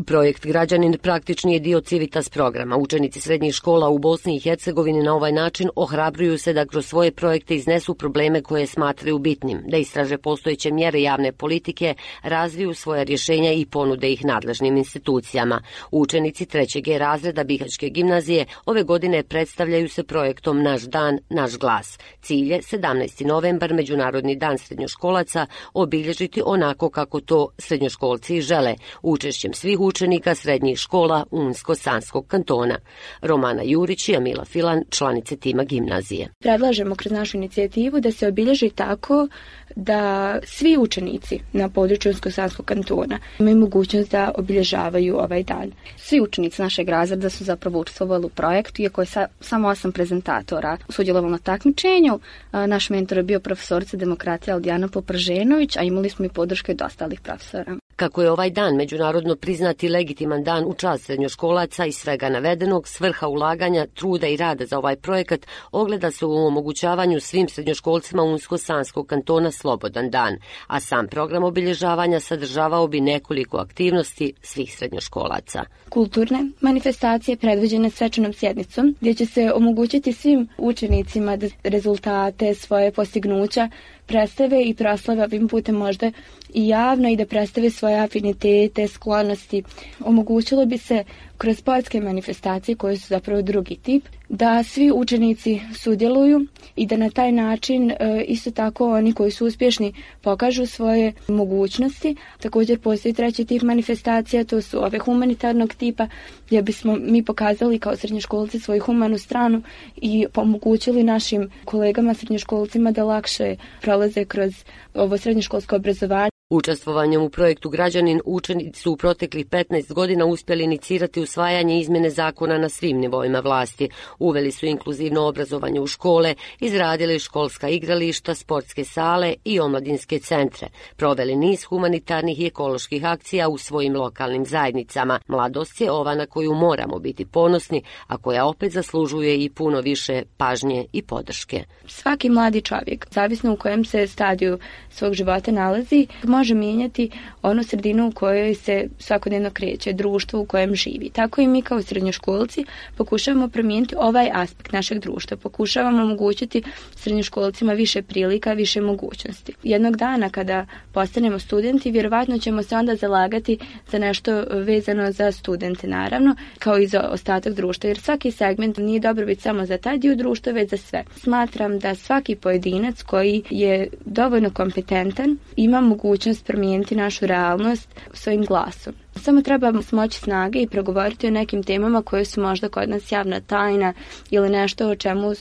Projekt Građanin praktični je dio Civitas programa. Učenici srednjih škola u Bosni i Hercegovini na ovaj način ohrabruju se da kroz svoje projekte iznesu probleme koje smatraju bitnim, da istraže postojeće mjere javne politike, razviju svoja rješenja i ponude ih nadležnim institucijama. Učenici 3. G razreda Bihaćke gimnazije ove godine predstavljaju se projektom Naš dan, naš glas. Cilj je 17. novembar, Međunarodni dan srednjoškolaca, obilježiti onako kako to srednjoškolci žele, učešćem svih učenika srednjih škola Unsko-Sanskog kantona. Romana Jurić i Amila Filan, članice tima gimnazije. Predlažemo kroz našu inicijativu da se obilježi tako da svi učenici na području Unsko-Sanskog kantona imaju mogućnost da obilježavaju ovaj dan. Svi učenici našeg razreda su zapravo učestvovali u projektu, iako je samo 8 prezentatora sudjelovalo na takmičenju. Naš mentor je bio profesorica demokracije Aldijana Poprženović, a imali smo i podrške od ostalih profesora. Kako je ovaj dan međunarodno priznati legitiman dan u čast srednjoškolaca i svega navedenog, svrha ulaganja, truda i rada za ovaj projekat ogleda se u omogućavanju svim srednjoškolcima Unsko-Sanskog kantona slobodan dan, a sam program obilježavanja sadržavao bi nekoliko aktivnosti svih srednjoškolaca. Kulturne manifestacije predviđene svečanom sjednicom, gdje će se omogućiti svim učenicima da rezultate, svoje postignuća predstave i proslave ovim putem možda i javno i da predstave svoje afinitete, sklonosti. Omogućilo bi se kroz sportske manifestacije koje su zapravo drugi tip, da svi učenici sudjeluju i da na taj način isto tako oni koji su uspješni pokažu svoje mogućnosti. Također postoji treći tip manifestacija, to su ove humanitarnog tipa, gdje bismo mi pokazali kao srednjoškolci svoju humanu stranu i omogućili našim kolegama srednjoškolcima da lakše prolaze kroz ovo srednjoškolsko obrazovanje. Učestvovanjem u projektu Građanin učenici su u proteklih 15 godina uspjeli inicirati usvajanje izmjene zakona na svim nivoima vlasti. Uveli su inkluzivno obrazovanje u škole, izradili školska igrališta, sportske sale i omladinske centre. Proveli niz humanitarnih i ekoloških akcija u svojim lokalnim zajednicama. Mladost je ova na koju moramo biti ponosni, a koja opet zaslužuje i puno više pažnje i podrške. Svaki mladi čovjek, zavisno u kojem se stadiju svog života nalazi, može mijenjati onu sredinu u kojoj se svakodnevno kreće, društvo u kojem živi. Tako i mi kao srednjoškolci pokušavamo promijeniti ovaj aspekt našeg društva. Pokušavamo omogućiti srednjoškolcima više prilika, više mogućnosti. Jednog dana kada postanemo studenti, vjerovatno ćemo se onda zalagati za nešto vezano za studente, naravno, kao i za ostatak društva, jer svaki segment nije dobrobit samo za taj dio društva, već za sve. Smatram da svaki pojedinac koji je dovoljno kompetentan ima mogućnost promijeniti našu realnost svojim glasom. Samo treba smoći snage i progovoriti o nekim temama koje su možda kod nas javna tajna ili nešto o čemu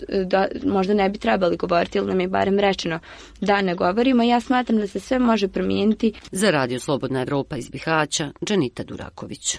možda ne bi trebali govoriti ili nam je barem rečeno da ne govorimo. Ja smatram da se sve može promijeniti. Za Radio Slobodna Evropa iz Bihaća, Dženita Duraković.